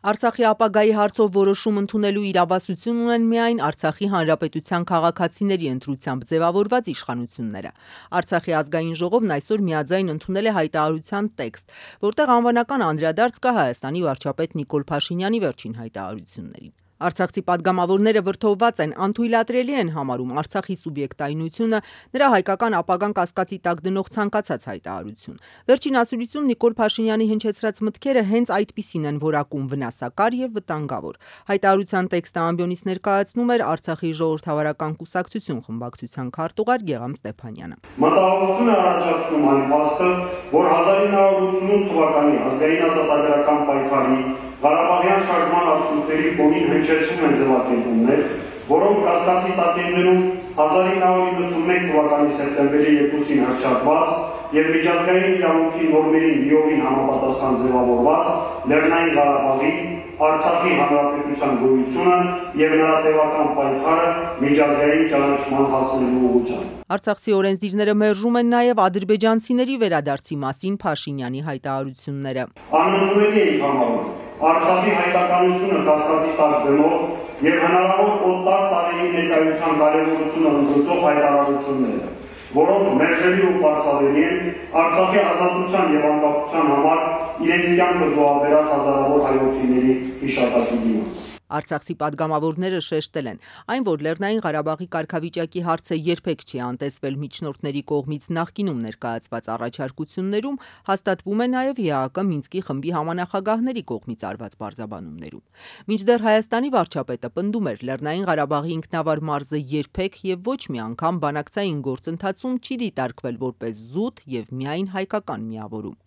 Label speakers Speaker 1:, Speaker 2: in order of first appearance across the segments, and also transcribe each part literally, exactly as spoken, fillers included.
Speaker 1: Արցախի ապագայի հարցով որոշում ընդունելու իրավասություն ունեն միայն Արցախի հանրապետության քաղաքացիների ընտրությամբ ձևավորված իշխանությունները։ Արցախի ազգային ժողովն այսօր միաձայն ընդունել է հայտարարության տեքստ, որտեղ անվանական անդրադարձ կա Հայաստանի վարչապետ Նիկոլ Փաշինյանի վերջին հայտարարություններին։ Արցախցի падգամավորները վրդովված են, անթույլատրելի են համարում Արցախի սուբյեկտայնությունը, նրա հայկական ապագան կասկածի տակ դնող ցանկացած հայտարարություն։ Վերջին ասուլիսում Նիկոլ Փաշինյանի հնչեցրած մտքերը հենց այդպիսին են որակում վնասակար եւ վտանգավոր։ Հայտարարության տեքստը ամբիոնից ներկայացնում էր Արցախի ժողովրդավարական կուսակցություն խմբակցության քարտուղար Գեգամ Ստեփանյանը։
Speaker 2: Մտահոգություն է առաջացնում այն փաստը, որ հազար ինը հարյուր ութսունութ թվականի ազգային ազատագրական պայքարի Ղարաբաղյան շարժման արդյունքների ֆոնին հնչեցում են ձևակերպումներ, որոնք կասկածի տակ են դնում հազար ինը հարյուր իննսունմեկ թվականի սեպտեմբերի երկուսին հռչակված եւ միջազգային իրավունքի նորմերին լիովին համապատասխան ձևավորված Լեռնային Ղարաբաղի Արցախի հանրապետության գոյությունը եւ նրա տևական պայքարը միջազգային ճանաչման հասնելու ուղղությամբ։
Speaker 1: Արցախցի օրենսդիրները մերժում են նաև ադրբեջանցիների վերադարձի մասին Փաշինյանի հայտարարությունները։
Speaker 2: Անընդունելի է համարում Արցախի հայտականությունը կասկածի տակ դնող եւ հնարավոր օտար տարերի ներկայության կարևորությունը ընդգծող հայտարարությունները, որոնք մերժելի ու պարսավելի են Արցախի ազատության եւ անկախության համար իրենց կյանքը զոհաբերած հազարավոր հայրենիների հիշատակի դիմաց։
Speaker 1: Արցախցի падգամավորները շեշտել են, այն որ Լեռնային Ղարաբաղի կարգավիճակի հարցը երբեք չի անտեսվել միջնորդների կողմից նախկինում ներկայացված առաջարկություններում, հաստատվում է նաև ԵԱՀԿ Մինսկի խմբի համանախագահների կողմից արված պարզաբանումներում։ Մինչդեռ Հայաստանի վարչապետը պնդում էր Լեռնային Ղարաբաղի ինքնավար մարզը երբեք եւ ոչ մի անգամ բանակցային գործընթացում չի դիտարկվել որպես զուտ եւ միայն հայկական միավորում։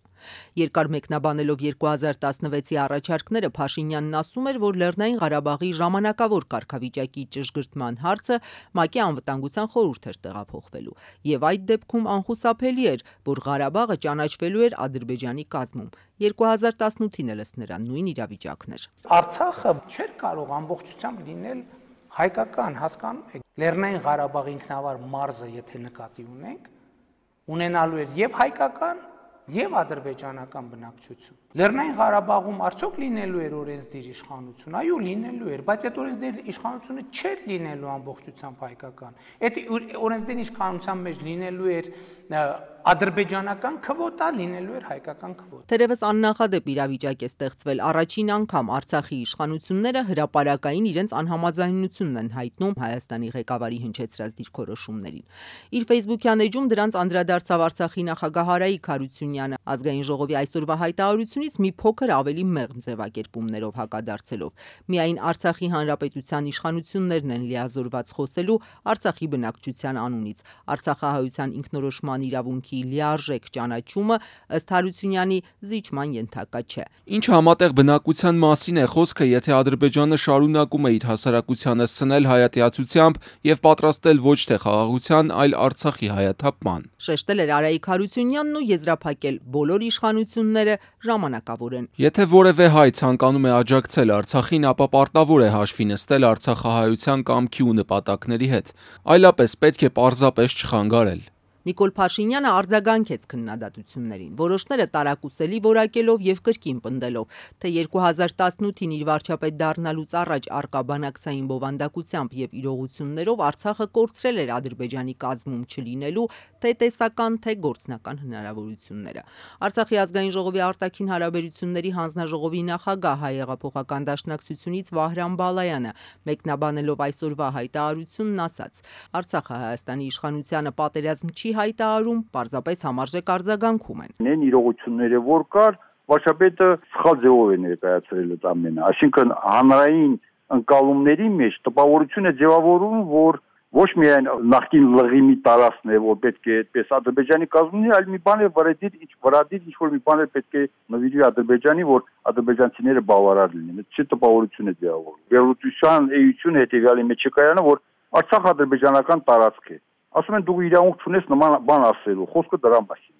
Speaker 1: Երկար մեկնաբանելով երկու հազար տասնվեցի առաջարկները Փաշինյանն ասում էր, որ Լեռնային Ղարաբաղի ժամանակավոր կարգավիճակի ճշգրտման հարցը ՄԱԿ-ի անվտանգության խորհուրդ էր տեղափոխվելու, եւ այդ դեպքում անխուսափելի էր, որ Ղարաբաղը ճանաչվելու էր Ադրբեջանի կազմում։ երկու հազար տասնութին էլ ըստ նրա նույն իրավիճակն էր։
Speaker 3: Արցախը չէր կարող ամբողջությամբ լինել հայկական, հասկանում եք։ Լեռնային Ղարաբաղի ինքնավար մարզը, եթե նկատի ունենք, ունենալու էր եւ հայկական եւ ադրբեջանական բնակչություն։ Լեռնային Ղարաբաղում արդյոք լինելու էր օրենսդիր իշխանություն, այո, լինելու էր, բայց այդ օրենսդիր իշխանությունը չէր լինելու ամբողջությամբ հայկական։ Այդ օրենսդիր իշխանության մեջ լինելու էր ադրբեջանական քվոտա, լինելու էր հայկական քվոտա։
Speaker 1: Թերևս աննախադեպ իրավիճակ է ստեղծվել, առաջին անգամ Արցախի իշխանությունները հրապարակային իրենց անհամաձայնությունն են հայտնում Հայաստանի ղեկավարի հնչեցրած դիրքորոշումներին։ Իր Facebook-յան էջում դրանց անդրադարձավ Արցախի նախագահ Արայիկ Հարությունյանը, ազգային ժողովի այսօրվա հայտարարությունից մի փոքր ավելի մեղմ ձևակերպումներով հակադարձելով։ Միայն Արցախի հանրապետության իշխանություններն են լիազորված խոսելու Արցախի բնակչության անունից։ Արցախահայության ինքնորոշման իրավունքի լիարժեք ճանաչումը ըստ Հարությունյանի զիջման ենթակա չէ։
Speaker 4: Ինչ համատեղ բնակության մասին է խոսքը, եթե Ադրբեջանը շարունակում է իր հասարակությանը սնել հայատյացությամբ եւ պատրաստել ոչ թե խաղաղության, այլ Արցախի հայաթափման։
Speaker 1: Շեշտել էր Արայիկ Հարությունյանն ու եզրափակել բոլոր իշխանությունները ժամանակավոր են։
Speaker 4: Եթե որևէ հայ ցանկանում է աջակցել Արցախին, ապա պարտավոր է հաշվի նստել արցախահայության կամքի ու նպատակների հետ, այլապես պետք է պարզապես չխանգարել։
Speaker 1: Նիկոլ Փաշինյանը արձագանքեց քննադատություններին, որոշները տարակուսելի որակելով եւ կրկին պնդելով, թե երկու հազար տասնութին իր վարչապետ դառնալուց առաջ արկա բանակցային բովանդակությամբ եւ իրողություններով Արցախը կորցրել էր Ադրբեջանի կազմում չլինելու թե տեսական, թե գործնական հնարավորությունները։ Արցախի ազգային ժողովի արտաքին հարաբերությունների հանձնաժողովի նախագահ հայ հեղափոխական դաշնակցությունից Վահրամ Բալայանը մեկնաբանելով այսօրվա հայտարարությունն ասաց. Արցախը Հայաստանի իշխանությանը պատերազմ չի հայտարարում, պարզապես համարժեք արձագանքում են։
Speaker 5: Նեն իրողությունները որ կար, վարչապետը սխալ ձևով է ներկայացրել այդ ամենը, այսինքն հանրային ընկալումների մեջ տպավորություն է ձևավորում, որ ոչ միայն նախկին լղիմի տարածքն է, որ պետք է այդպես Ադրբեջանի կազմունի, այլ մի բան է վրադիր, ինչ վրադիր ինչ որ մի բան է պետք է նվիրի Ադրբեջանի, որ ադրբեջանցիները բավարար լինեն։ Այդ չի տպավորություն է ձևավորում։ Վերլուծության էությունը հետեւյալի մեջ է կայանում, որ Արցախ ադրբեջանական տարածք է։ Ասում են դու իրավունք չունես նման բան ասելու, խոսքը դրա մասին։